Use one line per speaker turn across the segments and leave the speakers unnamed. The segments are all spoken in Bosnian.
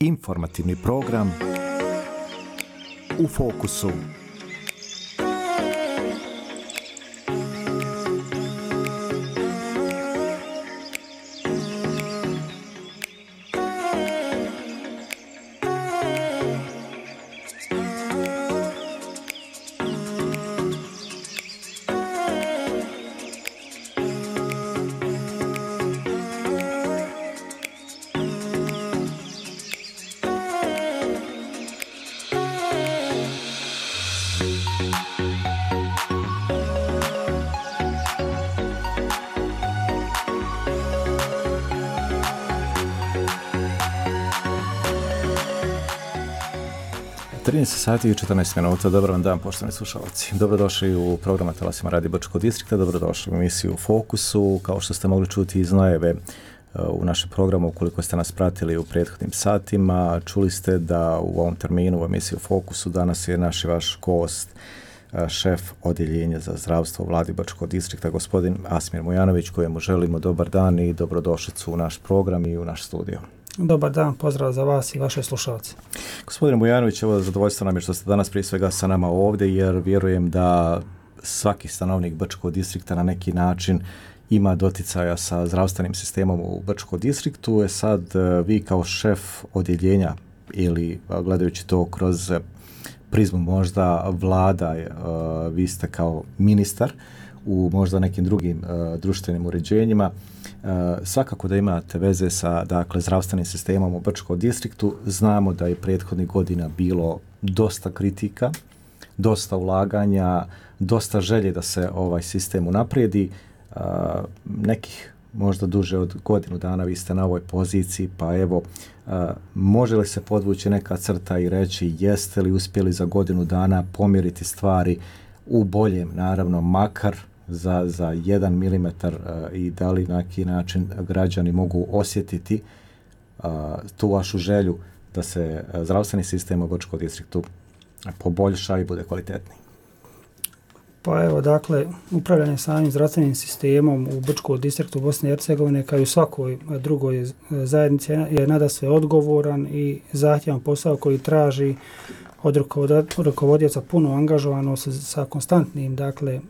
Informativni program U fokusu. Sati i 14 minuta. Dobar vam dan, poštovani slušalci. Dobrodošli u program Talasima Radio Brčkog distrikta, dobrodošli u emisiju U fokusu. Kao što ste mogli čuti iz najave u našem programu, ukoliko ste nas pratili u prethodnim satima, čuli ste da u ovom terminu u emisiji U fokusu danas je naš i vaš gost, šef odjeljenja za zdravstvo u Vladi Brčkog distrikta, gospodin Asmir Mujanović, kojemu želimo dobar dan i dobrodošlicu u naš program i u naš studio.
Dobar dan, pozdrav za vas i vaše slušalce.
Gospodine Mujanović, evo zadovoljstvo nam je što ste danas prije svega sa nama ovdje, jer vjerujem da svaki stanovnik Brčkog distrikta na neki način ima doticaja sa zdravstvenim sistemom u Brčkom distriktu. Sad vi kao šef odjeljenja ili gledajući to kroz prizmu možda vlada, vi ste kao ministar u možda nekim drugim društvenim uređenjima, svakako da imate veze sa zdravstvenim sistemom u Brčkom distriktu. Znamo da je prethodnih godina bilo dosta kritika, dosta ulaganja, dosta želje da se ovaj sistem unaprijedi. Nekih možda duže od godinu dana vi ste na ovoj poziciji, pa evo, može li se podvući neka crta i reći jeste li uspjeli za godinu dana pomjeriti stvari u boljem, naravno, makar za 1 milimetar, i da li na neki način građani mogu osjetiti tu vašu želju da se zdravstveni sistem u Brčkom distriktu poboljša i bude kvalitetniji?
Pa evo, dakle, upravljanje samim zdravstvenim sistemom u Brčkom distriktu Bosne i Hercegovine kao i u svakoj drugoj zajednici je nadasve odgovoran i zahtjevan posao koji traži od rukovodioca puno angažovanost sa konstantnim, dakle,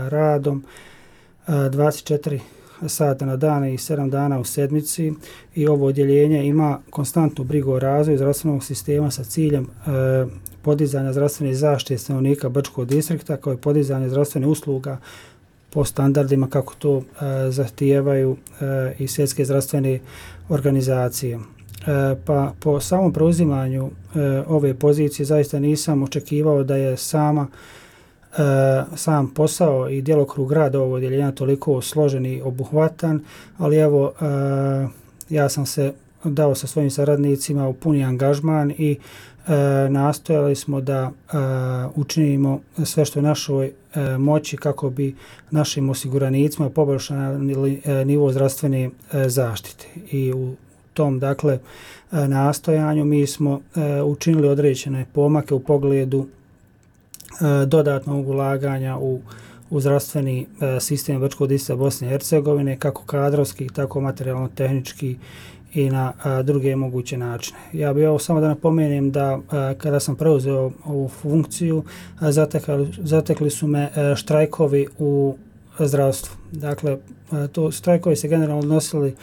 radom 24 sata na dan i 7 dana u sedmici, i ovo odjeljenje ima konstantnu brigu o razvoju zdravstvenog sistema sa ciljem podizanja zdravstvene zaštite stanovnika Brčkog distrikta, kao i podizanje zdravstvene usluga po standardima kako to zahtijevaju i svjetske zdravstvene organizacije. Pa po samom preuzimanju ove pozicije zaista nisam očekivao da je sam posao i djelokrug rada ovog odjeljenja toliko složen i obuhvatan, ali evo, ja sam se dao sa svojim saradnicima u puni angažman i nastojali smo da učinimo sve što je našoj moći kako bi našim osiguranicima poboljšali nivo zdravstvene zaštite. I u tom, dakle, nastojanju mi smo učinili određene pomake u pogledu dodatnog ulaganja u zdravstveni sistem Brčkog distrikta Bosne i Hercegovine, kako kadrovski, tako materijalno-tehnički i na druge moguće načine. Ja bih samo da napomenem da kada sam preuzeo ovu funkciju, zatekli su me štrajkovi u zdravstvu. Dakle, to štrajkovi se generalno odnosili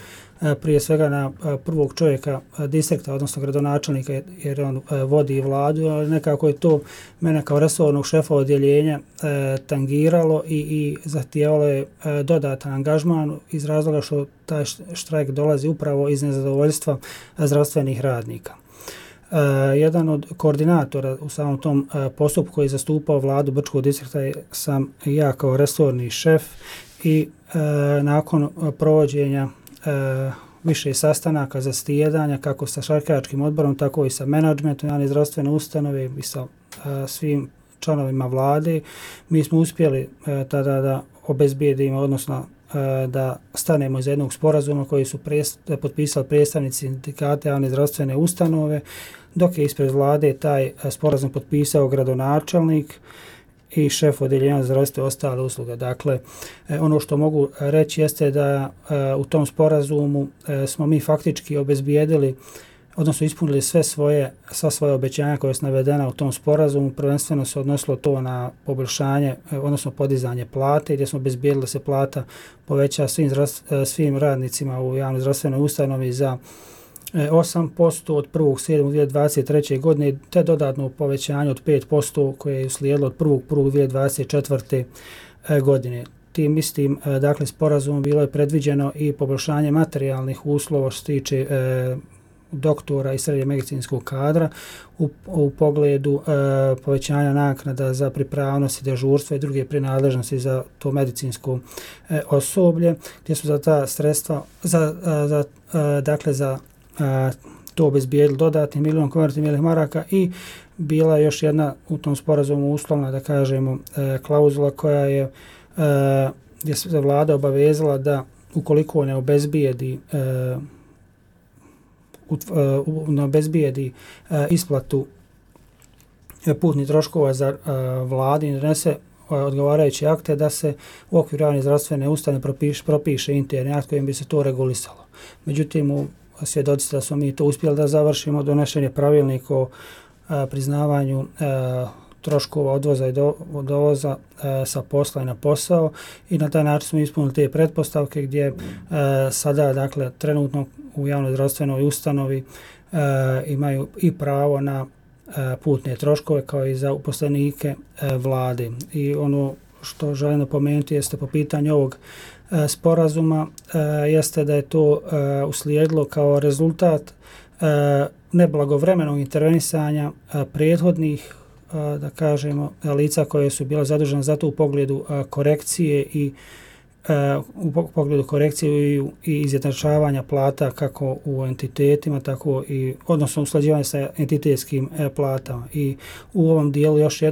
prije svega na prvog čovjeka distrikta, odnosno gradonačelnika, jer on vodi vladu, ali nekako je to mene kao resornog šefa odjeljenja tangiralo i zahtijevalo je dodatan angažman iz razloga što taj štrajk dolazi upravo iz nezadovoljstva zdravstvenih radnika. Jedan od koordinatora u samom tom postupku koji je zastupao vladu Brčkog distrikta sam ja kao resorni šef, i nakon provođenja više sastanaka, zasjedanja kako sa štrajkačkim odborom, tako i sa menadžmentom javne zdravstvene ustanove i sa svim članovima vlade, mi smo uspjeli tada da obezbijedimo, odnosno da stanemo iz jednog sporazuma koji su potpisali predstavnici sindikata javne zdravstvene ustanove, dok je ispred vlade taj sporazum potpisao gradonačelnik i šef odjeljenja za zdravstvo i ostale usluge. Dakle, ono što mogu reći jeste da u tom sporazumu smo mi faktički obezbijedili odnosno ispunili sva svoje obećanja koje su navedena u tom sporazumu. Prvenstveno se odnosilo to na poboljšanje, odnosno podizanje plate, gdje smo obezbijedili da se plata poveća svim radnicima u javnoj zdravstvenoj ustanovi za 8% od 1.7.2023. godine, te dodatno povećanje od 5% koje je uslijedilo od 1.1.2024. godine. Tim istim dakle, sporazumom bilo je predviđeno i poboljšanje materijalnih uslova što se tiče doktora i srednje medicinskog kadra u pogledu povećanja naknada za pripravnost i dežurstva i druge prinadležnosti za to medicinsko osoblje, gdje su za ta sredstva za to obezbijedili dodatni milion konvertibilnih maraka i bila je još jedna u tom sporazumu uslovna, da kažemo, klauzula koja je gdje se vlada obavezala da ukoliko ne obezbijedi isplatu putnih troškova za vladi i donese odgovarajuće akte, da se u okviru javne zdravstvene ustanove propiše interni akt kojim bi se to regulisalo. Međutim, svjedoci da smo mi to uspjeli da završimo, donešen je pravilnik o priznavanju troškova odvoza i dovoza sa posla i na posao i na taj način smo ispunili te pretpostavke gdje sada, dakle, trenutno u javnoj zdravstvenoj ustanovi imaju i pravo na putne troškove kao i za uposlenike vlade. I ono što želim napomenuti jeste po pitanju ovog sporazuma jeste da je to uslijedilo kao rezultat neblagovremenog intervenisanja prethodnih, da kažemo, lica koje su bila zadužena za to u pogledu korekcije i i izjednačavanja plata kako u entitetima, tako i odnosno usklađivanje sa entitetskim platama. I u ovom dijelu još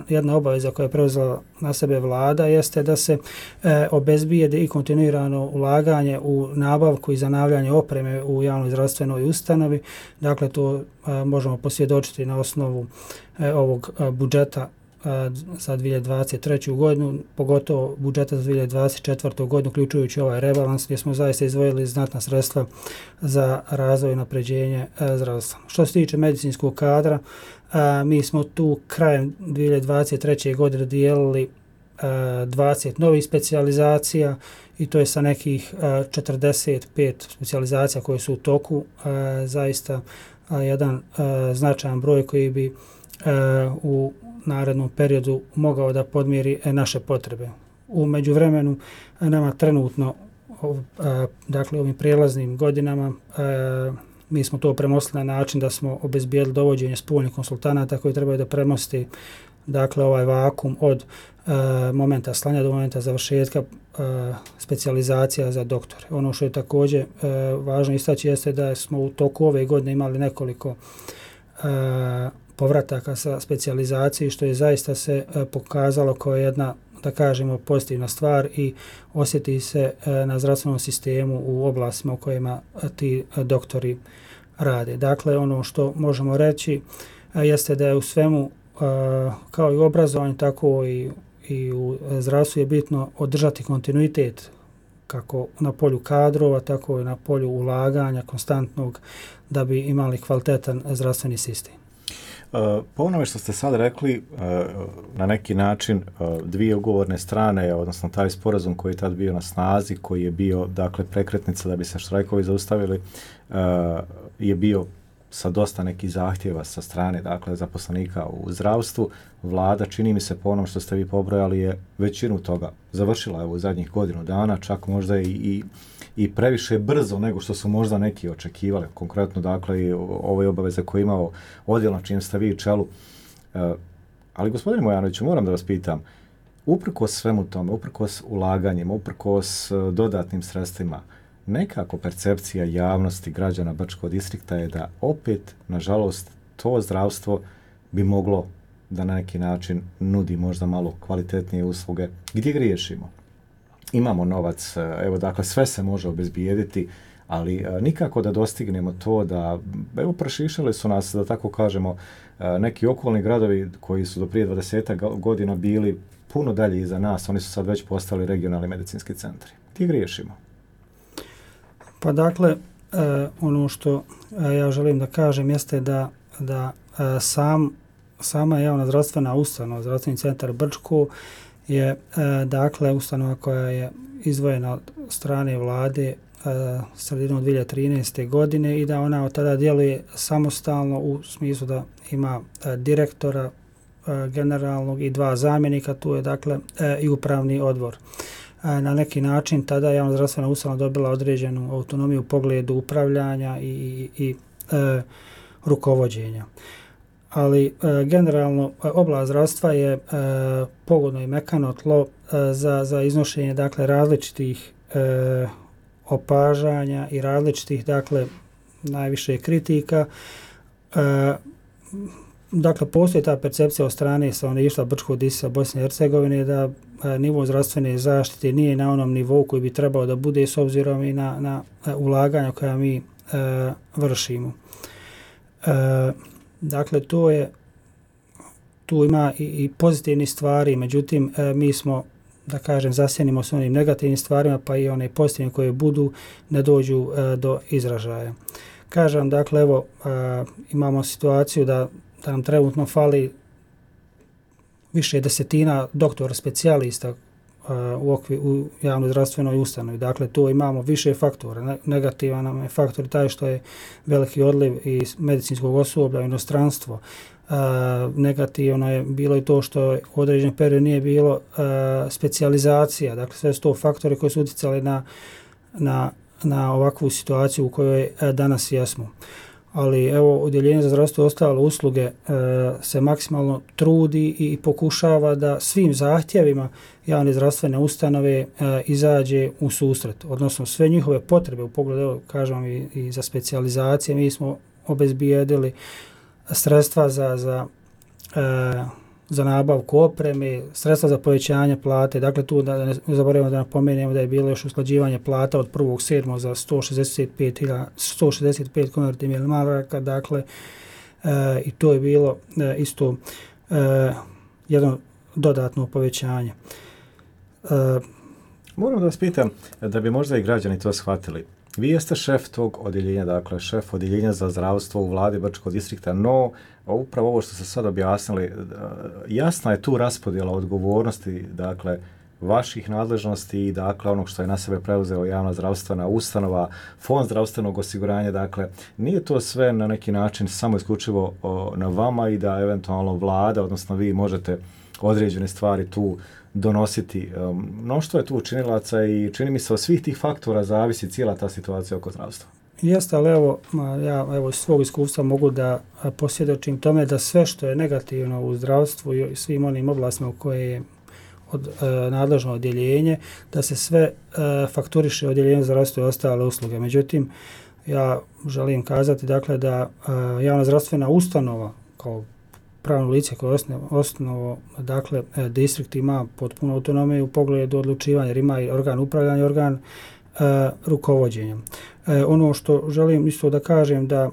jedna obaveza koja je preuzela na sebe vlada jeste da se obezbijede i kontinuirano ulaganje u nabavku i zanavljanje opreme u javnoj zdravstvenoj ustanovi. Dakle, to možemo posvjedočiti na osnovu ovog budžeta za 2023. godinu, pogotovo budžeta za 2024. godinu, uključujući ovaj rebalans gdje smo zaista izdvojili znatna sredstva za razvoj i napređenje zdravstva. Što se tiče medicinskog kadra, mi smo tu krajem 2023. godine dijelili 20 novih specijalizacija i to je sa nekih 45 specijalizacija koje su u toku, zaista jedan značajan broj koji bi u narednom periodu mogao da podmiri naše potrebe. U međuvremenu nama trenutno, dakle ovim prijelaznim godinama, mi smo to premostili na način da smo obezbijedili dovođenje spoljnih konsultanata koji trebaju da premosti, dakle, ovaj vakum od momenta slanja do momenta završetka specijalizacija za doktore. Ono što je također važno istaći jeste da smo u toku ove godine imali nekoliko povrataka sa specijalizacije, što je zaista se pokazalo kao jedna, da kažemo, pozitivna stvar i osjeti se na zdravstvenom sistemu u oblastima u kojima ti doktori rade. Dakle, ono što možemo reći jeste da je u svemu, kao i u obrazovanju, tako i u zdravstvu je bitno održati kontinuitet kako na polju kadrova, tako i na polju ulaganja konstantnog da bi imali kvalitetan zdravstveni sistem.
Po onome što ste sad rekli, na neki način dvije ugovorne strane, odnosno taj sporazum koji je tad bio na snazi, koji je bio, dakle, prekretnica da bi se štrajkovi zaustavili, je bio sa dosta nekih zahtjeva sa strane, dakle, zaposlenika u zdravstvu. Vlada, čini mi se po onom što ste vi pobrojali, je većinu toga završila u zadnjih godinu dana, čak možda i previše brzo nego što su možda neki očekivali. Konkretno, dakle, i ove obaveze koje je imao odjel na čijem ste vi čelu. Ali, gospodine Mojanoviću, moram da vas pitam, uprkos svemu tome, uprkos ulaganjima, uprkos dodatnim sredstvima, nekako percepcija javnosti građana Brčkog distrikta je da opet, nažalost, to zdravstvo bi moglo da na neki način nudi možda malo kvalitetnije usluge. Gdje griješimo? Imamo novac, evo, dakle, sve se može obezbijediti, ali nikako da dostignemo to da, evo, prešišali su nas, da tako kažemo, neki okolni gradovi koji su do prije 20 godina bili puno dalje iza nas, oni su sad već postali regionalni medicinski centri. Gdje griješimo?
Pa dakle, ono što ja želim da kažem jeste da sama javna zdravstvena ustanova, zdravstveni centar Brčko je dakle ustanova koja je izdvojena od strane vlade sredinom 2013. godine i da ona od tada djeluje samostalno u smislu da ima direktora generalnog i 2 zamjenika, tu je dakle i upravni odbor. Na neki način tada je javna zdravstvena ustanova dobila određenu autonomiju u pogledu upravljanja i rukovođenja. Ali generalno oblast zdravstva je pogodno i mekano tlo za iznošenje dakle različitih opažanja i različitih dakle najviše kritika. Dakle, postoji ta percepcija od strane stanovništva Brčkog distrikta Bosne i Hercegovine da nivo zdravstvene zaštite nije na onom nivou koji bi trebao da bude s obzirom i na ulaganja koja mi vršimo. Dakle, tu ima i pozitivnih stvari, međutim, mi smo, da kažem, zasjenimo s onim negativnim stvarima, pa i one pozitivne koje budu ne dođu do izražaja. Kažem, dakle, evo, imamo situaciju da nam trenutno fali više desetina doktora specijalista u javnoj zdravstvenoj ustanovi. Dakle, tu imamo više faktora. Negativan nam je faktor taj što je veliki odliv iz medicinskog osoblja u inostranstvo. Negativno je bilo i to što u određenom periodu nije bilo specijalizacija. Dakle, sve su to faktori koji su utjecali na ovakvu situaciju u kojoj danas jesmo. Ali evo, Odjeljenje za zdravstvo i ostale usluge se maksimalno trudi i pokušava da svim zahtjevima javne zdravstvene ustanove izađe u susret. Odnosno, sve njihove potrebe u pogledu, evo, kažem i za specijalizacije, mi smo obezbijedili sredstva za nabavku opreme, sredstva za povećanje plate. Dakle, tu da ne zaboravimo da napomenemo da je bilo još usklađivanje plata od 1.7. za 165 konvertibilnih maraka. Dakle, i to je bilo isto jedno dodatno povećanje.
Moram da vas pitam, da bi možda i građani to shvatili. Vi jeste šef tog odjeljenja, dakle šef odjeljenja za zdravstvo u vladi Brčkog distrikta, no upravo ovo što ste sad objasnili, jasna je tu raspodjela odgovornosti, dakle, vaših nadležnosti i dakle onog što je na sebe preuzeo javna zdravstvena ustanova, fond zdravstvenog osiguranja, dakle, nije to sve na neki način samo isključivo na vama i da eventualno vlada, odnosno vi možete određene stvari tu donositi. Mnoštvo je tu učinilaca i čini mi se od svih tih faktora zavisi cijela ta situacija oko zdravstva.
Jeste, ali ja iz svog iskustva mogu da posvjedočim tome da sve što je negativno u zdravstvu i svim onim oblastima u koje je nadležno odjeljenje, da se sve fakturiše odjeljenje za zdravstvo i ostale usluge. Međutim, ja želim kazati dakle da javna zdravstvena ustanova kao pravno lice koje je osnovo, dakle, distrikt ima potpuno autonomiju u pogledu odlučivanja, jer ima i organ upravljanja i organ rukovođenja. Ono što želim isto da kažem da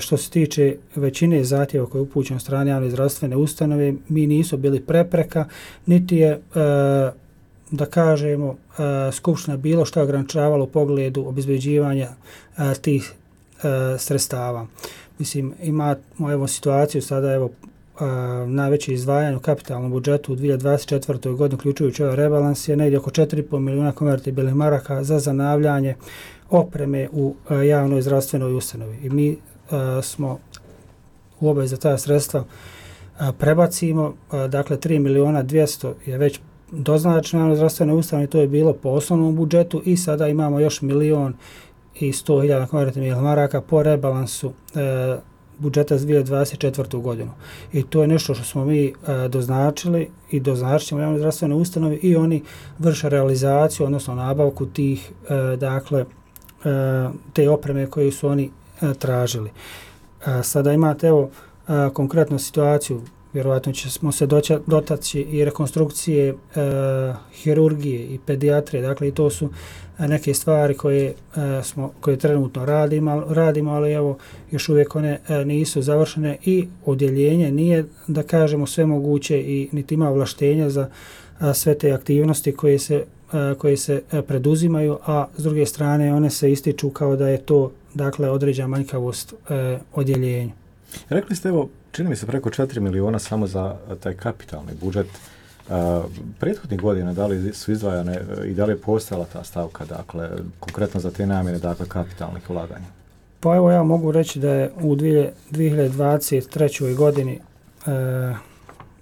što se tiče većine zahtjeva koje je upućeno od strane javne zdravstvene ustanove, mi nisu bili prepreka, niti je, da kažemo, Skupština bilo što ograničavalo u pogledu obezbeđivanja tih sredstava. Mislim, imamo evo situaciju sada, evo, najveće izdvajanje u kapitalnom budžetu u 2024. godini, uključujući ovaj rebalans, je negdje oko 4,5 milijuna konvertibilnih maraka za zanavljanje opreme u javnoj zdravstvenoj ustanovi. I mi smo u obavezi da ta sredstva prebacimo. Dakle, 3 milijuna 200 je već doznačeno javnoj zdravstvenoj ustanovi, to je bilo po osnovnom budžetu i sada imamo još 1.100.000 konvertibilnih maraka po rebalansu budžeta za 2024. godinu. I to je nešto što smo mi doznačili i doznačit ćemo javnoj zdravstvenoj ustanovi i oni vrše realizaciju, odnosno nabavku tih, dakle, te opreme koje su oni tražili. Sada imate, evo, konkretnu situaciju, vjerovatno ćemo se dotaći i rekonstrukcije hirurgije i pedijatrije, dakle, i to su neke stvari koje trenutno radimo, ali evo, još uvijek one nisu završene i odjeljenje nije, da kažemo, sve moguće i niti ima ovlaštenja za sve te aktivnosti koje se preduzimaju, a s druge strane one se ističu kao da je to dakle određena manjkavost odjeljenju.
Rekli ste, evo, čini mi se preko 4 miliona samo za taj kapitalni budžet. Prethodnih godina da li su izdvajane i da li je postojala ta stavka, dakle, konkretno za te namjene, dakle, kapitalnih ulaganja?
Pa evo ja mogu reći da je u 2023. godini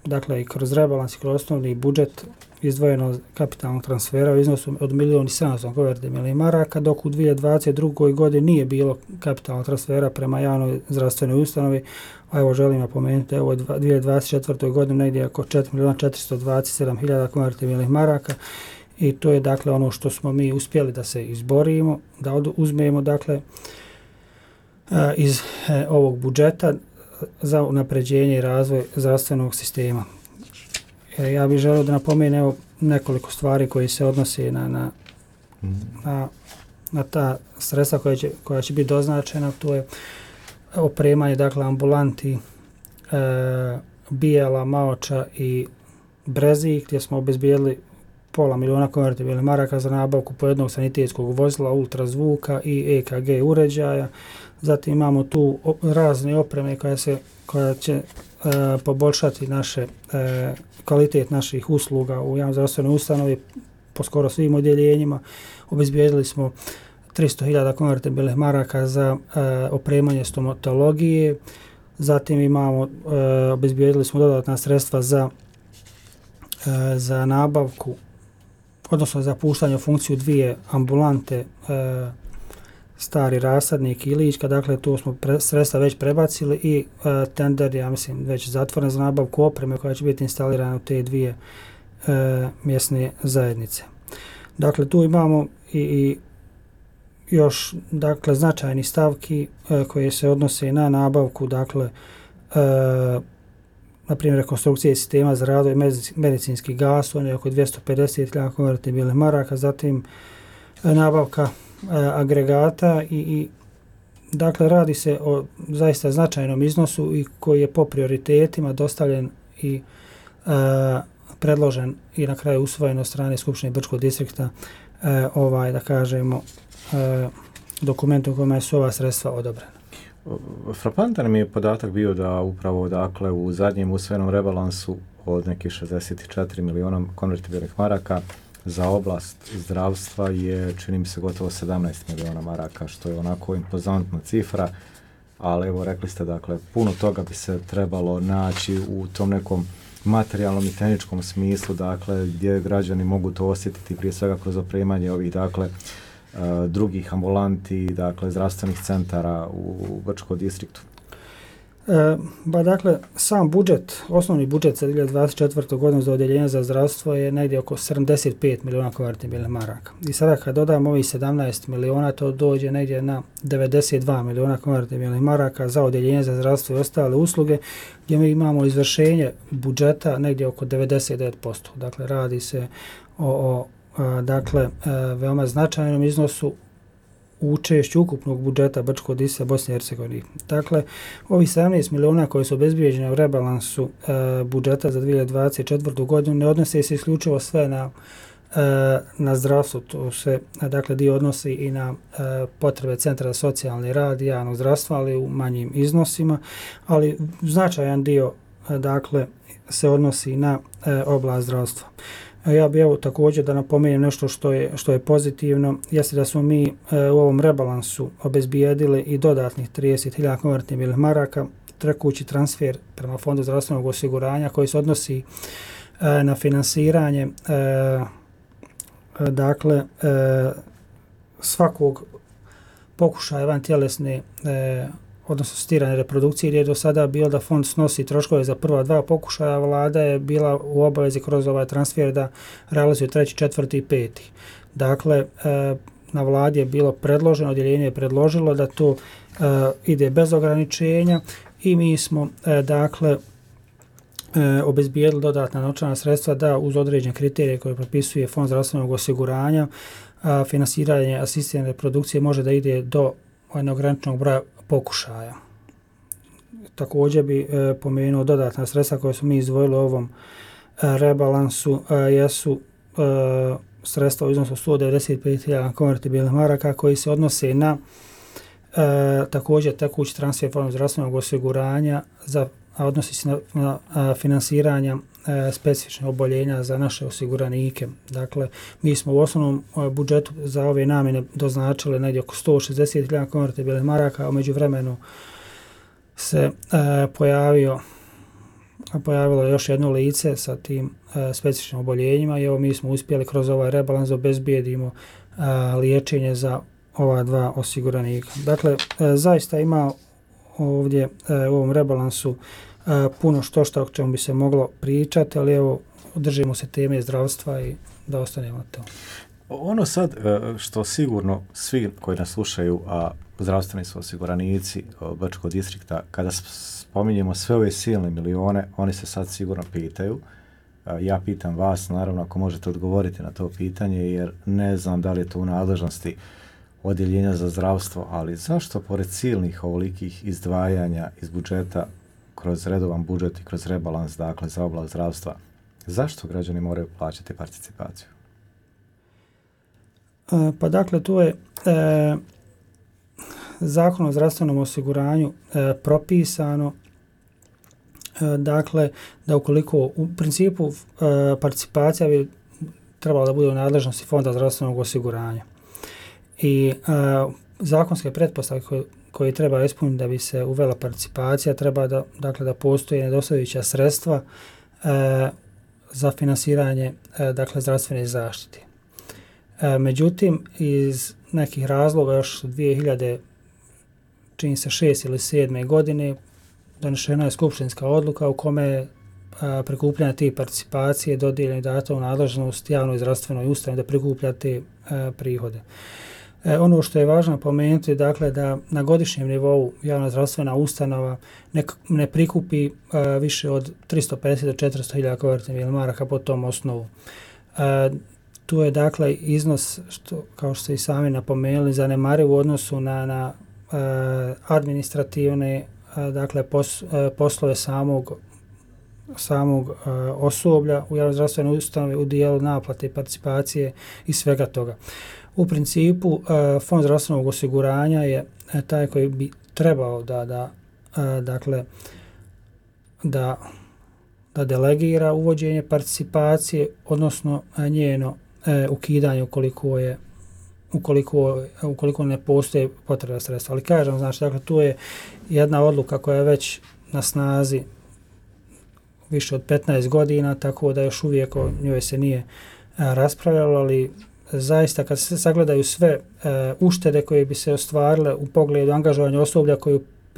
dakle i kroz rebalans i kroz osnovni budžet izdvojeno kapitalnog transfera u iznosu od 1.700.000 maraka, dok u 2022. godini nije bilo kapitalnog transfera prema javnoj zdravstvenoj ustanovi. A evo želim napomenuti, evo u 2024. godini negdje oko 4.427.000 maraka i to je dakle ono što smo mi uspjeli da se izborimo, da uzmemo dakle iz ovog budžeta za unapređenje i razvoj zdravstvenog sistema. Ja bih želio da napomenem nekoliko stvari koji se odnose na ta sredstva koja će biti doznačena. To je opremanje dakle ambulanti Bijela, Maoča i Brezi, gdje smo obezbijedili $500.000 maraka za nabavku po jednog sanitetskog vozila, ultrazvuka i EKG uređaja. Zatim imamo tu razne opreme koja će poboljšati kvalitet naših usluga u javnoj zdravstvenoj ustanovi po skoro svim odjeljenjima. Obezbijedili smo $300.000 maraka za opremanje stomatologije. Zatim obezbijedili smo dodatna sredstva za nabavku, odnosno za puštanje u funkciju 2 ambulante Stari Rasadnik i Ilička, dakle tu smo sredstva već prebacili i tender, ja mislim, već zatvoren za nabavku opreme koja će biti instalirana u te 2 mjesne zajednice. Dakle, tu imamo i još dakle značajni stavki koje se odnose na nabavku, dakle na primjer rekonstrukcije sistema za razvoj medicinskih gasova, oko $250.000 maraka, zatim nabavka agregata i dakle radi se o zaista značajnom iznosu i koji je po prioritetima dostavljen i predložen i na kraju usvojen od strane Skupštine Brčkog distrikta da kažemo dokument u kojima su ova sredstva odobrena.
Frapantan mi je podatak bio da upravo dakle u zadnjem usvojenom rebalansu od nekih 64 miliona konvertibilnih maraka za oblast zdravstva je, čini mi se, gotovo 17 miliona maraka, što je onako impozantna cifra, ali evo rekli ste, dakle, puno toga bi se trebalo naći u tom nekom materijalnom i tehničkom smislu, dakle, gdje građani mogu to osjetiti prije svega kroz opremanje ovih, dakle, drugih ambulanti, dakle, zdravstvenih centara u Brčkom distriktu.
Dakle, sam budžet, osnovni budžet za 2024. godinu za odjeljenje za zdravstvo je negdje oko 75 miliona konvertibilnih maraka. I sada kad dodamo ovih 17 miliona, to dođe negdje na 92 miliona konvertibilnih maraka za odjeljenje za zdravstvo i ostale usluge, gdje mi imamo izvršenje budžeta negdje oko 99%. Dakle, radi se o veoma značajnom iznosu učešću ukupnog budžeta Brčkog distrikta Bosne i Hercegovine. Dakle, ovih 17 miliona koji su obezbijeđeni u rebalansu budžeta za 2024. godinu ne odnose se isključivo sve na zdravstvo. To se, dakle, dio odnosi i na potrebe Centra za socijalni rad i javnog zdravstva, ali u manjim iznosima, ali značajan dio, dakle, se odnosi na oblast zdravstva. Ja bih evo također da napomenem nešto što je pozitivno, jeste da smo mi u ovom rebalansu obezbijedili i dodatnih 30.000 konvertibilnih maraka, tekući transfer prema Fondu zdravstvenog osiguranja koji se odnosi na finansiranje dakle svakog pokušaja vantjelesne odnosno asistirane reprodukcije, gdje je do sada bilo da fond snosi troškove za prva 2 pokušaja, vlada je bila u obavezi kroz ovaj transfer da realizuje 3., 4. i 5. Dakle, na vladi je bilo predloženo, odjeljenje je predložilo da to ide bez ograničenja i mi smo dakle obezbijedili dodatna novčana sredstva da uz određene kriterije koje propisuje Fond zdravstvenog osiguranja finansiranje asistirane reprodukcije može da ide do neograničenog broja pokušaja. Također bi pomenuo dodatna sredstva koje smo mi izdvojili u ovom rebalansu jesu sredstva u iznosu 195.000 konvertibilnih maraka koji se odnose na također tekući transfer Fonda zdravstvenog osiguranja a odnosi se na finansiranja specifičnih oboljenja za naše osiguranike. Dakle, mi smo u osnovnom budžetu za ove namjene doznačili negdje oko 160.000 konvertibilnih maraka, a međuvremenu se pojavilo još jedno lice sa tim specifičnim oboljenjima i evo mi smo uspjeli kroz ovaj rebalans obezbijedimo liječenje za ova dva osiguranika. Dakle, zaista ima ovdje u ovom rebalansu puno što o čemu bi se moglo pričati, ali evo držimo se teme zdravstva i da ostanemo to.
Ono sad što sigurno svi koji nas slušaju, a zdravstveni su osiguranici Brčkog distrikta, kada spominjemo sve ove silne milione, oni se sad sigurno pitaju. Ja pitam vas, naravno, ako možete odgovoriti na to pitanje, jer ne znam da li je to u nadležnosti odjeljenja za zdravstvo, ali zašto pored silnih ovolikih izdvajanja iz budžeta kroz redovan budžet i kroz rebalans, dakle, za oblast zdravstva, zašto građani moraju plaćati participaciju?
Pa dakle, tu je Zakon o zdravstvenom osiguranju propisano dakle, da ukoliko u principu participacija bi trebala da bude u nadležnosti Fonda zdravstvenog osiguranja. I zakonske pretpostavke koje treba ispuniti da bi se uvela participacija treba da postoje nedostajuća sredstva za finansiranje dakle, zdravstvene zaštite. Međutim, iz nekih razloga još 2006. ili 2007. godine donešena je skupštinska odluka u kome prikupljanje tih participacije dodijeljeno i dato u nadležnost javnoj zdravstvenoj ustanovi da prikuplja te prihode. Ono što je važno pomenuti, dakle, da na godišnjem nivou javna zdravstvena ustanova ne prikupi više od 350 do 400.000 konvertibilnih maraka po tom osnovu. Tu je dakle iznos, što, kao što ste i sami napomenuli, zanemariv u odnosu na administrativne dakle, poslove samog osoblja u javnoj zdravstvenoj ustanovi u dijelu naplate i participacije i svega toga. U principu, Fond zdravstvenog osiguranja je taj koji bi trebao da delegira uvođenje participacije, odnosno njeno ukidanje ukoliko ne postoje potreba sredstva. Ali kažem, znači, dakle, tu je jedna odluka koja je već na snazi više od 15 godina, tako da još uvijek o njoj se nije raspravljalo, ali zaista kad se sagledaju sve uštede koje bi se ostvarile u pogledu angažovanja osoblja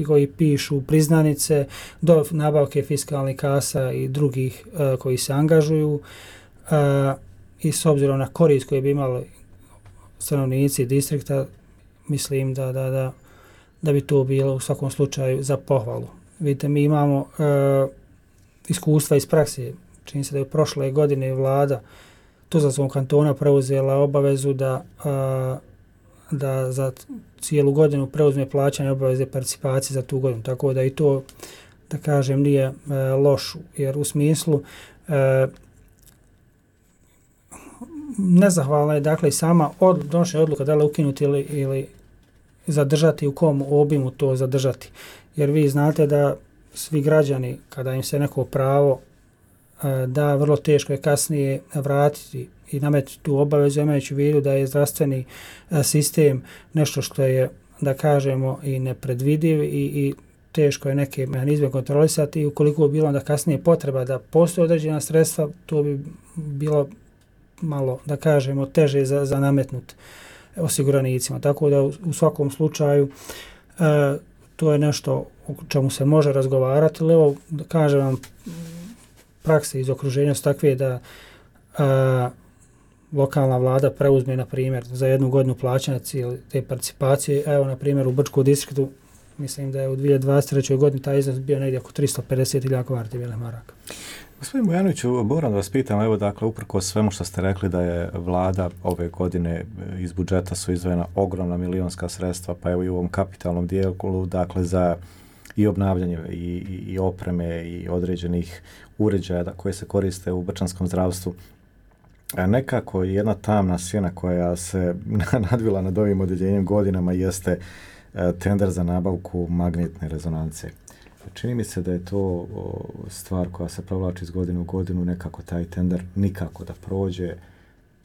koji pišu priznanice do nabavke fiskalnih kasa i drugih koji se angažuju i s obzirom na korist koje bi imali stanovnici distrikta, mislim da bi to bilo u svakom slučaju za pohvalu. Vidite, mi imamo iskustva iz prakse. Čini se da je prošle godine vlada Tuzlanskog kantona preuzela obavezu da za cijelu godinu preuzme plaćanje obaveze participacije za tu godinu. Tako da i to, da kažem, nije loš, jer u smislu nezahvalna je dakle i sama donošenje odluka da li ukinuti ili zadržati, u kom obimu to zadržati. Jer vi znate da svi građani, kada im se neko pravo da, vrlo teško je kasnije vratiti i nametiti tu obavezu, imajući u vidu da je zdravstveni sistem nešto što je, da kažemo, i nepredvidiv i teško je neke mehanizme kontrolisati i ukoliko bi bilo onda kasnije potreba da postoje određena sredstva, to bi bilo malo, da kažemo, teže za nametnut osiguranicima. Tako da u svakom slučaju to je nešto o čemu se može razgovarati, ali evo, da kažem vam, prakse iz okruženja su takve da lokalna vlada preuzme, na primjer, za jednu godinu plaćanja te participacije. Evo, na primjer, u Brčkom distriktu, mislim da je u 2023. godini taj iznos bio negdje oko 350.000 konvertibilnih maraka.
Gospodin Bojanoviću, moram da vas pitam, evo, dakle, uprkos svemu što ste rekli da je vlada ove godine iz budžeta su izdvojena ogromna milionska sredstva, pa evo i u ovom kapitalnom dijelu, dakle, za i obnavljanje i opreme i određenih uređaja koje se koriste u brčanskom zdravstvu. Nekako jedna tamna sjena koja se nadvila nad ovim odjeljenjem godinama jeste tender za nabavku magnetne rezonance. Čini mi se da je to stvar koja se provlači iz godine u godinu, nekako taj tender nikako da prođe,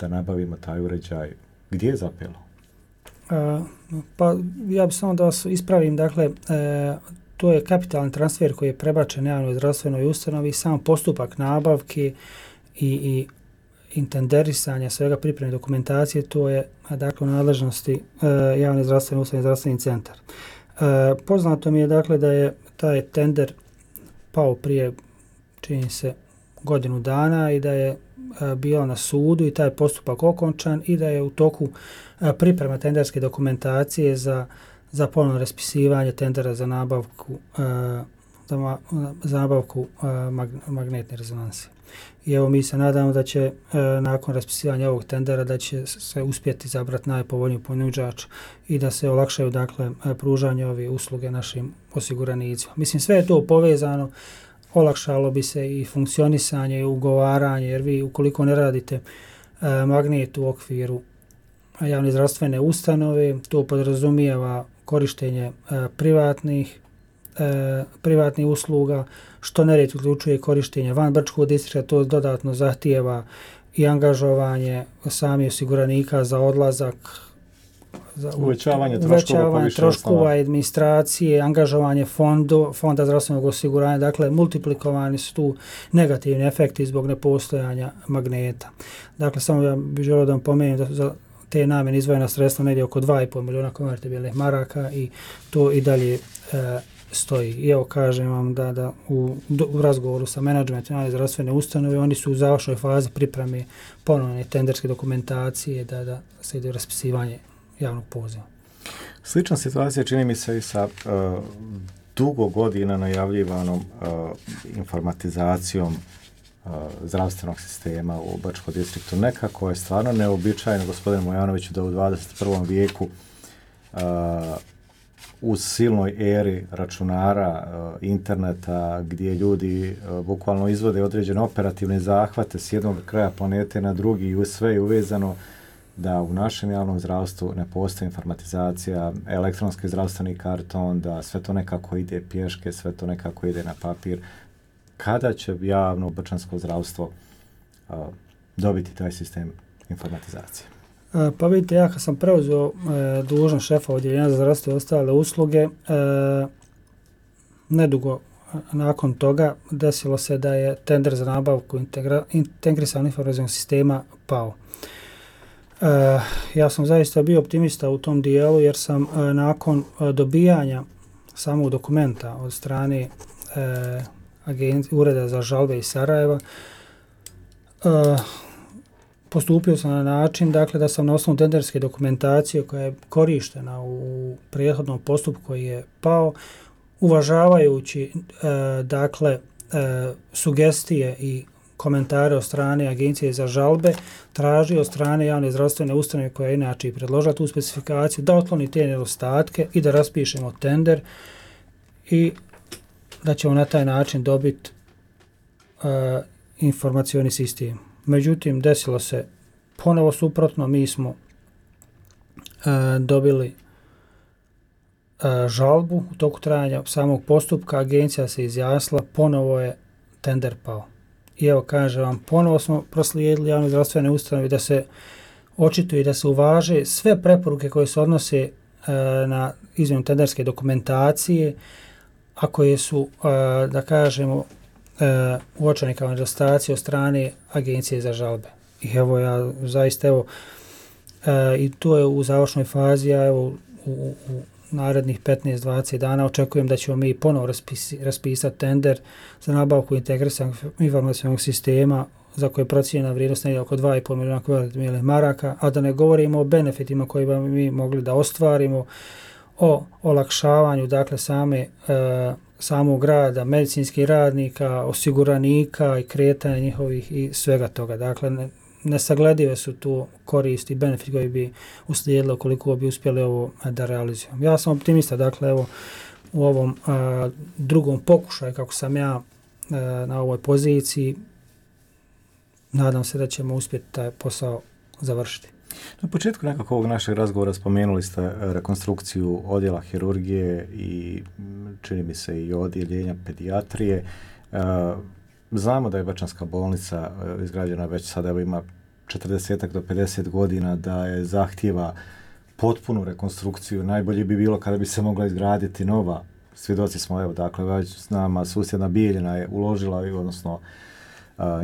da nabavimo taj uređaj. Gdje je zapelo?
Pa ja bih samo da vas ispravim, dakle, to je kapitalni transfer koji je prebačen javnoj zdravstvenoj ustanovi, sam postupak nabavke i intenderisanja svega pripremne dokumentacije, to je dakle u nadležnosti javne zdravstvene ustanove i zdravstveni centar. Poznato mi je dakle da je taj tender pao prije, čini se, godinu dana i da je bio na sudu i taj postupak okončan i da je u toku priprema tenderske dokumentacije za ponovno raspisivanje tendera za nabavku magnetne rezonanse. I evo mi se nadamo da će nakon raspisivanja ovog tendera da će se uspjeti izabrati najpovoljniji ponuđač i da se olakšaju dakle pružanje ove usluge našim osiguranicima. Mislim, sve je to povezano, olakšalo bi se i funkcionisanje i ugovaranje, jer vi ukoliko ne radite magnet u okviru javne zdravstvene ustanove, to podrazumijeva korištenje privatnih usluga, što nerijetko uključuje korištenje van Brčkog distrikta, to dodatno zahtijeva i angažovanje samih osiguranika za odlazak, za
uvećavanje
troškova administracije, angažovanje fonda zdravstvenog osiguranja, dakle multiplikovani su tu negativni efekti zbog nepostojanja magneta. Dakle, samo ja bih želio da vam pomenem da za te namjene izdvojena sredstva negdje oko 2,5 milijuna konvertibilnih maraka i to i dalje stoji. I evo kažem vam da u razgovoru sa menadžmentom zdravstvene ustanove oni su u završnoj fazi pripreme ponovne tenderske dokumentacije da se ide u raspisivanje javnog poziva.
Slična situacija čini mi se i sa dugo godina najavljivanom informatizacijom zdravstvenog sistema u Bačkom distriktu. Nekako je stvarno neobičajno, gospodine Mojanoviću, da u 21. vijeku u silnoj eri računara, interneta, gdje ljudi bukvalno izvode određene operativne zahvate s jednog kraja planete na drugi i sve je uvezano, da u našem javnom zdravstvu ne postoji informatizacija, elektronski zdravstveni karton, da sve to nekako ide pješke, sve to nekako ide na papir. Kada će javno bačansko zdravstvo dobiti taj sistem informatizacije?
Pa vidite, ja kad sam preuzeo dužnost šefa odjeljenja za zdravstvo i ostale usluge, nedugo nakon toga desilo se da je tender za nabavku integrisanog informacijskog sistema pao. Ja sam zaista bio optimista u tom dijelu jer sam nakon dobijanja samog dokumenta od strane Ureda za žalbe iz Sarajeva postupio sam na način dakle, da sam na osnovu tenderske dokumentacije koja je korištena u prethodnom postupku koji je pao, uvažavajući sugestije i komentare od strane Agencije za žalbe, traži od strane javne zdravstvene ustanove koja je inače predložila tu specifikaciju da otkloni te nedostatke i da raspišemo tender i da ćemo na taj način dobiti informacioni sistem. Međutim, desilo se ponovo suprotno, mi smo dobili žalbu u toku trajanja samog postupka, agencija se izjasnila, ponovo je tender pao. I evo kažem vam, ponovo smo proslijedili javne zdravstvene ustanove da se očituje i da se uvaže sve preporuke koje se odnose na izmjenu tenderske dokumentacije, a koje su, da kažemo, uočene kao nedostaci od strane Agencije za žalbe. I evo ja zaista, i to je u završnoj fazi, a evo u narednih 15-20 dana očekujem da ćemo mi ponovo raspisati tender za nabavku integrisanog informacijskog sistema za koje je procijenjena vrijednost negdje oko 2,5 milijuna konvertibilnih maraka, a da ne govorimo o benefitima koje bi mi mogli da ostvarimo, o olakšavanju dakle samog rada, medicinskih radnika, osiguranika i kretanja njihovih i svega toga. Dakle, nesagledive su tu koristi i benefit koji bi uslijedili ukoliko bi uspjeli ovo da realizujemo. Ja sam optimista, dakle, evo, u ovom drugom pokušaju, kako sam ja na ovoj poziciji, nadam se da ćemo uspjeti taj posao završiti.
Na početku nekako ovog našeg razgovora spomenuli ste rekonstrukciju odjela hirurgije i čini mi se i odjeljenja pedijatrije. Znamo da je Bačanska bolnica izgrađena već sada, evo ima 40 do 50 godina, da je zahtjeva potpunu rekonstrukciju. Najbolje bi bilo kada bi se mogla izgraditi nova. Svjedoci smo, evo, dakle, već s nama susjedna Bijeljina je uložila, odnosno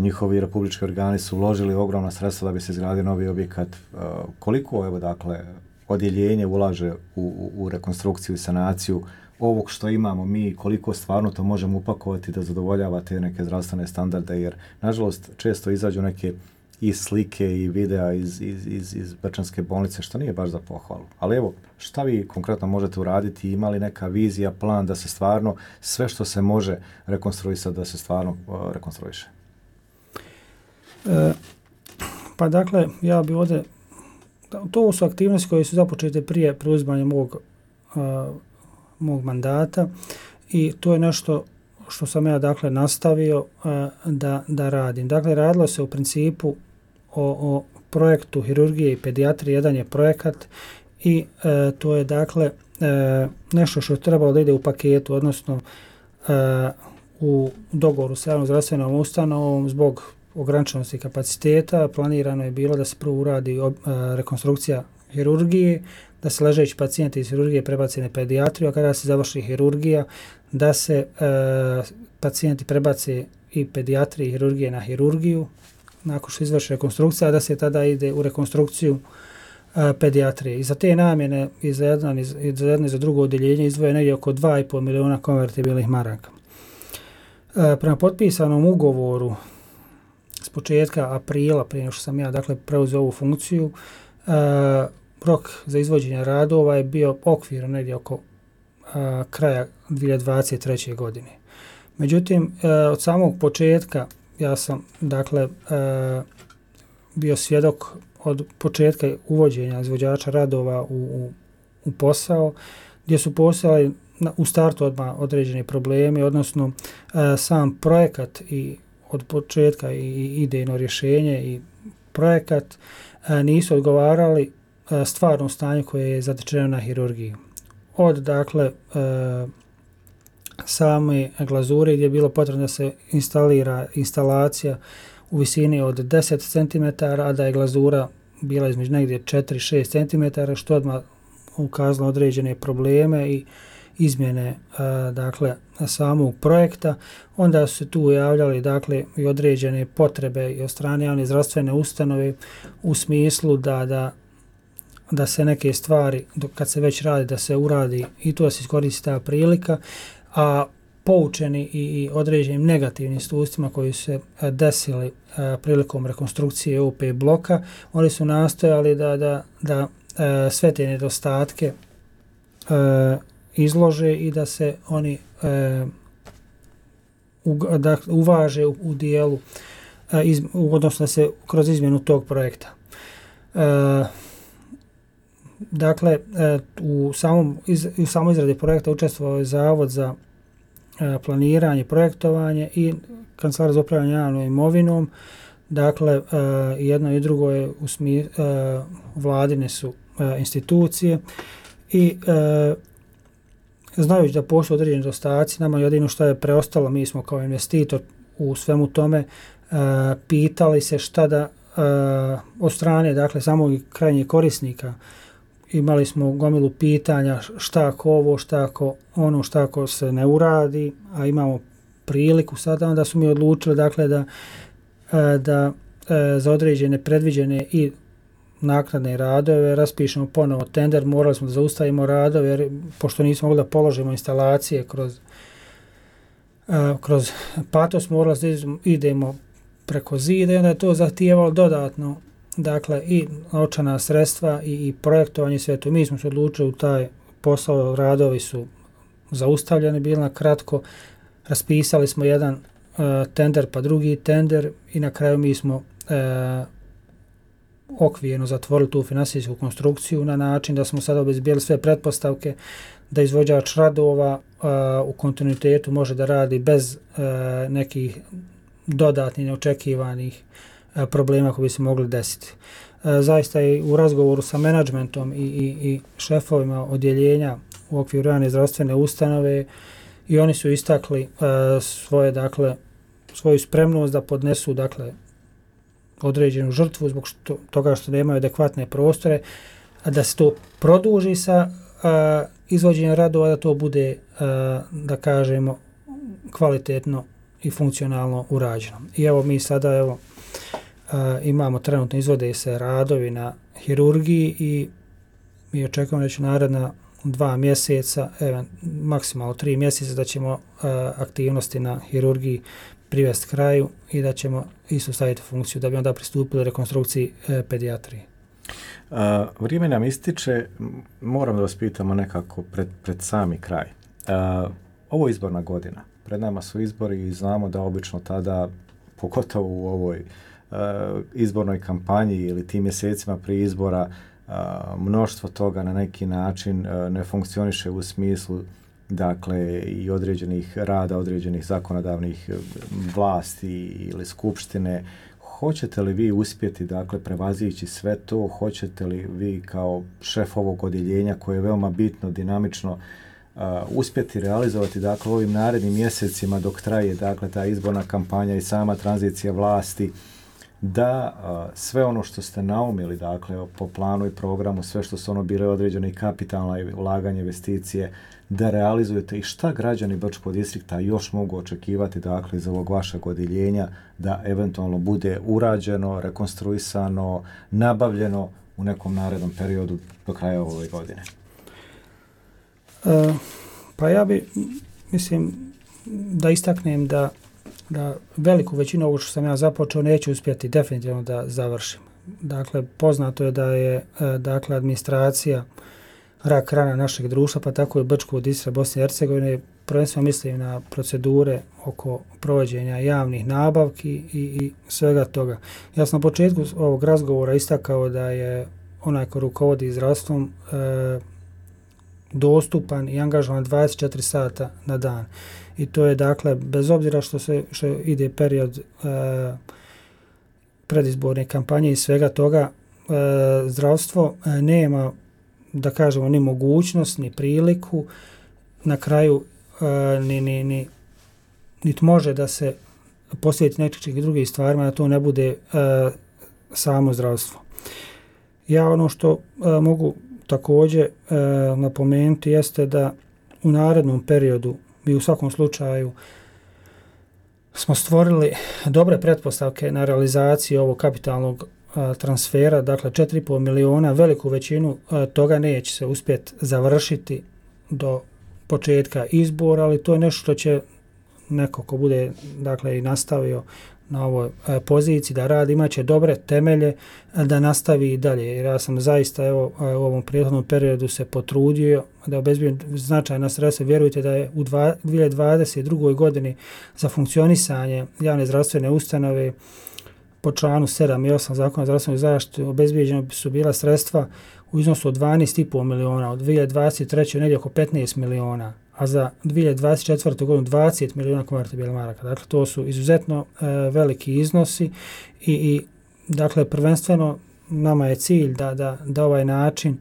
njihovi republički organi su uložili ogromna sredstva da bi se izgradio novi objekat. Koliko, evo, dakle, odjeljenje ulaže u rekonstrukciju i sanaciju ovog što imamo mi, koliko stvarno to možemo upakovati da zadovoljava te neke zdravstvene standarde, jer, nažalost, često izađu neke i slike i videa iz Bačanske bolnice, što nije baš za pohvalu. Ali evo, šta vi konkretno možete uraditi? Ima li neka vizija, plan da se stvarno sve što se može rekonstruisati, da se stvarno rekonstruiše?
Pa dakle, ja bi ovdje, to su aktivnosti koje su započete prije preuzimanja mog mandata i to je nešto što sam ja dakle nastavio da radim. Dakle, radilo se u principu o projektu hirurgije i pedijatrije. Jedan je projekat i to je dakle nešto što je trebalo da ide u paketu, odnosno u dogovoru sa javnom zdravstvenom ustanovom zbog ograničenosti kapaciteta. Planirano je bilo da se prvo uradi rekonstrukcija hirurgije, da se ležeći pacijenti iz hirurgije prebace na pedijatriju, a kada se završi hirurgija, da se pacijenti prebace i pedijatrije i hirurgije na hirurgiju, nakon što izvrši rekonstrukcija, da se tada ide u rekonstrukciju pedijatrije. I za te namjene i za jedno i za drugo odjeljenje izdvoje negdje oko 2,5 miliona konvertibilnih maraka. Prema potpisanom ugovoru s početka aprila, prije nego što sam ja dakle preuzeo ovu funkciju, rok za izvođenje radova je bio okvirno negdje oko kraja 2023. godine. Međutim, od samog početka ja sam dakle bio svjedok od početka uvođenja izvođača radova u posao, gdje su postojali u startu odmah određeni problemi, odnosno sam projekat i od početka i idejno rješenje i projekat nisu odgovarali stvarnom stanju koje je zatečeno na hirurgiji. Od dakle same glazure gdje je bilo potrebno da se instalira instalacija u visini od 10 cm, a da je glazura bila između negdje 4-6 cm, što odmah ukazalo određene probleme i izmjene dakle samog projekta. Onda su se tu javljali dakle i određene potrebe i od strane javne zdravstvene ustanove u smislu da se neke stvari, kad se već radi, da se uradi i to da se iskoristi ta prilika, a poučeni i određenim negativnim iskustvima koji su se desili prilikom rekonstrukcije OP bloka, oni su nastojali da sve te nedostatke izlože i da se oni uvaže u dijelu, odnosno da se kroz izmjenu tog projekta. Dakle, u samoj izradi projekta učestvovao je Zavod za planiranje, projektovanje i Kancelarija za upravljanje javnom imovinom. Dakle, jedno i drugo je vladine su institucije i znajući da postoje određeni nedostaci, nama jedino što je preostalo, mi smo kao investitor u svemu tome pitali se šta da od strane dakle samog krajnjeg korisnika. Imali smo gomilu pitanja šta ako ovo, šta ako ono, šta ako se ne uradi, a imamo priliku sada, onda su mi odlučili dakle da za određene predviđene i naknadne radove raspišemo ponovo tender. Morali smo da zaustavimo radove jer pošto nismo mogli da položimo instalacije kroz patos, morali da idemo preko zida i onda je to zahtijevalo dodatno dakle i novčana sredstva i projektovanje sve to. Mi smo se odlučili u taj posao, radovi su zaustavljeni, bili na kratko, raspisali smo jedan tender pa drugi tender i na kraju mi smo okvirno zatvorili tu finansijsku konstrukciju na način da smo sada obezbijeli sve pretpostavke da izvođač radova u kontinuitetu može da radi bez nekih dodatnih neočekivanih problema koji bi se mogli desiti. Zaista i u razgovoru sa menadžmentom i šefovima odjeljenja u okviru javne zdravstvene ustanove i oni su istakli svoju spremnost da podnesu određenu žrtvu zbog toga što nemaju adekvatne prostore, da se to produži sa izvođenjem radova, da to bude, da kažemo, kvalitetno i funkcionalno urađeno. I evo mi sada imamo trenutno izvode se radovi na hirurgiji i mi očekujemo da će naredna 2 mjeseca, maksimalno 3 mjeseca da ćemo aktivnosti na hirurgiji privesti kraju i da ćemo isto staviti funkciju da bi onda pristupili rekonstrukciji pedijatrije.
Vrijeme nam ističe, moram da vas pitamo nekako pred sami kraj. Ovo je izborna godina, pred nama su izbori i znamo da obično tada, pogotovo u ovoj izbornoj kampanji ili tim mjesecima prije izbora, mnoštvo toga na neki način ne funkcioniše u smislu i određenih rada, određenih zakonodavnih vlasti ili skupštine. Hoćete li vi uspjeti prevazići sve to? Hoćete li vi kao šef ovog odjeljenja koje je veoma bitno, dinamično, uspjeti realizovati u ovim narednim mjesecima dok traje ta izborna kampanja i sama tranzicija vlasti, da sve ono što ste naumili po planu i programu, sve što su bile određene i kapitalna i ulaganje investicije, da realizujete i šta građani Brčkog distrikta još mogu očekivati iz ovog vašeg odjeljenja da eventualno bude urađeno, rekonstruisano, nabavljeno u nekom narednom periodu do kraja ove godine?
Pa ja mislim da istaknem da veliku većinu ovo što sam ja započeo neću uspjeti definitivno da završim. Dakle, poznato je da je administracija rak rana našeg društva, pa tako i Brčkog distrikta Bosne i Hercegovine, prvenstveno mislim na procedure oko provođenja javnih nabavki i svega toga. Ja sam na početku ovog razgovora istakao da je onaj ko rukovodi zdravstvom dostupan i angažovan 24 sata na dan. I to je bez obzira što ide period predizborne kampanje i svega toga, zdravstvo nema, da kažemo, ni mogućnost, ni priliku, na kraju niti može da se posvijeti nekih drugih stvarima, da to ne bude samo zdravstvo. Ja ono što mogu također napomenuti jeste da u narednom periodu mi u svakom slučaju smo stvorili dobre pretpostavke na realizaciju ovog kapitalnog transfera, 4,5 miliona, veliku većinu toga neće se uspjeti završiti do početka izbora, ali to je nešto što će neko ko bude i nastavio na ovoj poziciji da radi, imaće dobre temelje da nastavi i dalje. Jer ja sam zaista u ovom prethodnom periodu se potrudio da obezbijem značajna sredstva. Vjerujte da je u 2022. godini za funkcionisanje javne zdravstvene ustanove po članu 7 i 8 Zakona o zdravstvenoj zaštiti obezbijeđeno su bila sredstva u iznosu od 12,5 miliona, od 2023. negdje oko 15 miliona, a za 2024. godinu 20 miliona konvertibilnih maraka. Dakle, to su izuzetno veliki iznosi i prvenstveno nama je cilj da ovaj način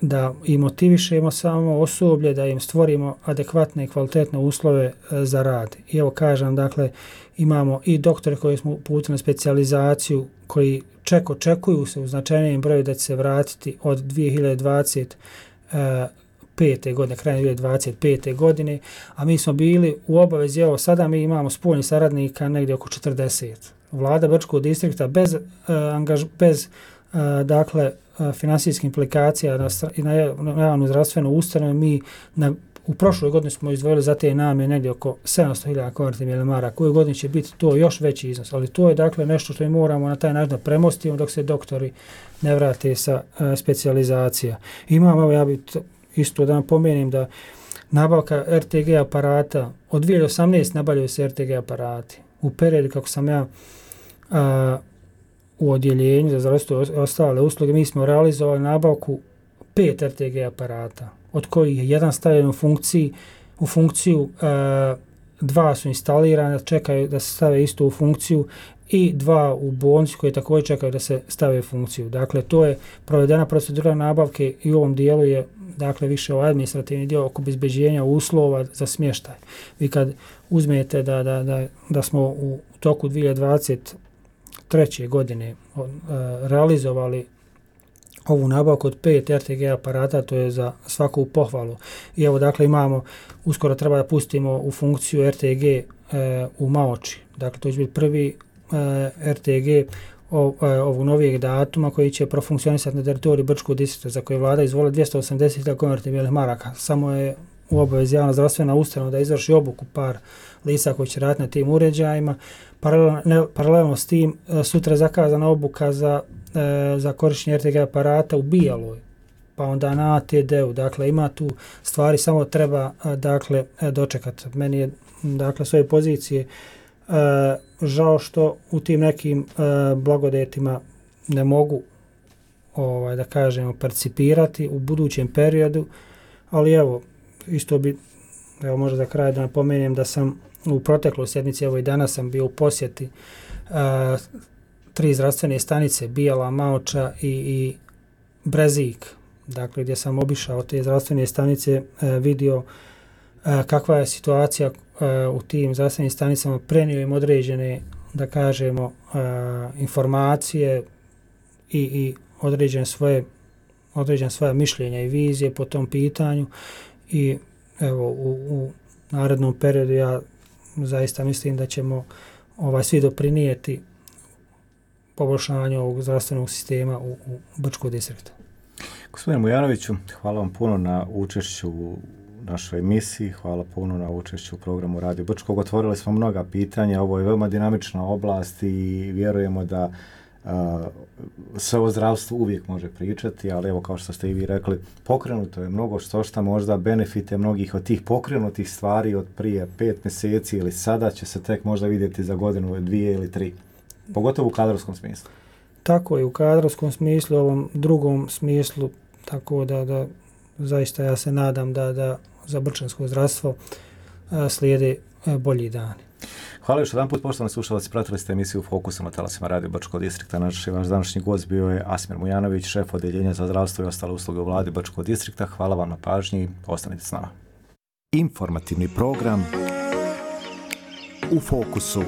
da i motivišemo samo osoblje, da im stvorimo adekvatne i kvalitetne uslove za rad. I evo kažem, imamo i doktore koji smo uputili na specijalizaciju, koji očekuju se u značajnijem broju da će se vratiti od 2025. godine, krajem 2025. godine, a mi smo bili u obavezi, evo sada mi imamo spoljnih saradnika negdje oko 40. Vlada Brčkog distrikta bez finansijskih implikacija na javnu zdravstvenu ustanovu, mi u prošloj godini smo izdvojili za te namjene negdje oko 700.000 konvertibilnih maraka. U godini će biti to još veći iznos, ali to je nešto što mi moramo na taj način da premostimo dok se doktori ne vrate sa specijalizacija. Imamo, ja bih isto da napomenem da nabavka RTG aparata, od 2018 nabavljaju se RTG aparati. U periodu kako sam ja u odjeljenju za zdravstvo i ostale usluge, mi smo realizovali nabavku 5 RTG aparata, od kojih je jedan stavljen u funkciju, 2 su instalirane, čekaju da se stave isto u funkciju i 2 u bolnici koje također čekaju da se stave u funkciju. Dakle, to je provedena procedura nabavke i u ovom dijelu je dakle više ovaj administrativni dio oko obezbeđenja uslova za smještaj. Vi kad uzmete da smo u toku 2023. godine realizovali ovu nabavku od 5 RTG aparata, to je za svaku pohvalu. I evo dakle imamo, uskoro treba da pustimo u funkciju RTG u Maoči. Dakle, to će biti prvi RTG ovog novijeg datuma koji će profunkcionisati na teritoriju Brčkog distrikta za koje vlada izvolila 280.000 konvertibilnih maraka. Samo je u obavezi javna zdravstvena ustanova da izvrši obuku par lica koji će raditi na tim uređajima. Paralelno s tim sutra je zakazana obuka za korištenje RTG aparata u Bijeloj, pa onda na ATD-u. Dakle, ima tu stvari, samo treba dakle dočekati. Meni je dakle s ove pozicije žao što u tim nekim blagodetima ne mogu da kažemo percipirati u budućem periodu, ali evo isto bi, evo možda za kraj da napomenem da sam u protekloj sjednici, evo i danas sam bio u posjeti 3 zdravstvene stanice, Bijela, Maoča i Brezik, dakle gdje sam obišao te zdravstvene stanice, vidio kakva je situacija u tim zdravstvenim stanicama, prenio im određene, da kažemo, informacije i određene svoje mišljenja i vizije po tom pitanju i evo u narednom periodu ja zaista mislim da ćemo svi doprinijeti poboljšanju ovog zdravstvenog sistema u Brčkom distriktu.
Gospodine Mujanoviću, hvala vam puno na učešću u našoj emisiji, hvala puno na učešću u programu Radio Brčkog. Otvorili smo mnoga pitanja, ovo je veoma dinamična oblast i vjerujemo da sve o zdravstvu uvijek može pričati, ali evo kao što ste i vi rekli, pokrenuto je mnogo što možda benefite mnogih od tih pokrenutih stvari od prije 5 mjeseci ili sada će se tek možda vidjeti za godinu, 2 ili 3, pogotovo u kadrovskom smislu.
Tako je, u kadrovskom smislu, ovom drugom smislu, tako da zaista ja se nadam da za brčansko zdravstvo slijede bolji dani.
Hvala još jedan put, poštovani slušalci, pratili ste emisiju Fokusa na talasima Radio Brčkog distrikta. Vaš današnji gost bio je Asmir Mujanović, šef odeljenja za zdravstvo i ostale usluge u vladi Brčkog distrikta. Hvala vam na pažnji, ostanite s nama. Informativni program U Fokusu.